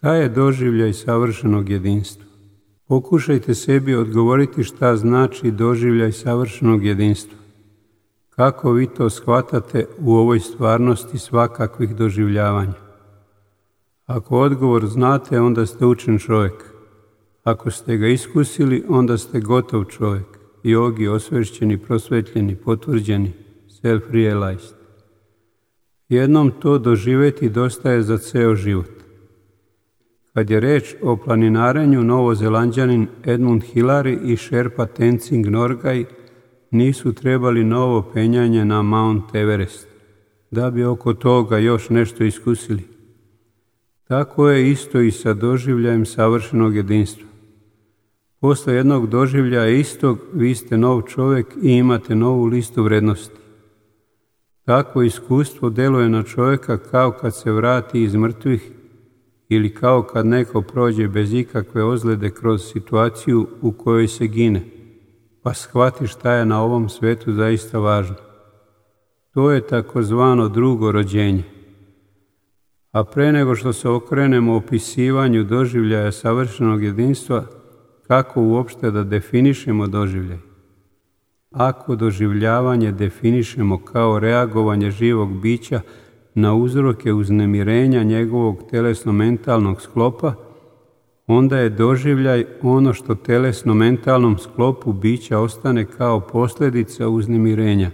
Šta je doživljaj savršenog jedinstva? Pokušajte sebi odgovoriti šta znači doživljaj savršenog jedinstva. Kako vi to shvatate u ovoj stvarnosti svakakvih doživljavanja? Ako odgovor znate, onda ste učen čovjek. Ako ste ga iskusili, onda ste gotov čovjek, jogi, osvešćeni, prosvetljeni, potvrđeni, self-realized. Jednom to doživjeti dosta je za ceo život. Kad je reč o planinarenju, Novozelanđanin Edmund Hillary i Sherpa Tenzing Norgay nisu trebali novo penjanje na Mount Everest, da bi oko toga još nešto iskusili. Tako je isto i sa doživljajem savršenog jedinstva. Posle jednog doživljaja istog, vi ste nov čovjek i imate novu listu vrednosti. Takvo iskustvo deluje na čovjeka kao kad se vrati iz mrtvih ili kao kad neko prođe bez ikakve ozljede kroz situaciju u kojoj se gine, pa shvati šta je na ovom svetu zaista važno. To je takozvano drugo rođenje. A pre nego što se okrenemo opisivanju doživljaja savršenog jedinstva, kako uopšte da definišemo doživljaj? Ako doživljavanje definišemo kao reagovanje živog bića na uzroke uznemirenja njegovog telesno-mentalnog sklopa, onda je doživljaj ono što telesno-mentalnom sklopu bića ostane kao posljedica uznemirenja,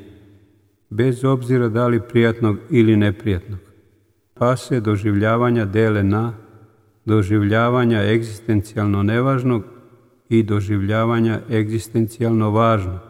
bez obzira da li prijatnog ili neprijatnog. Pa se doživljavanja dele na doživljavanja egzistencijalno nevažnog i doživljavanja egzistencijalno važnog.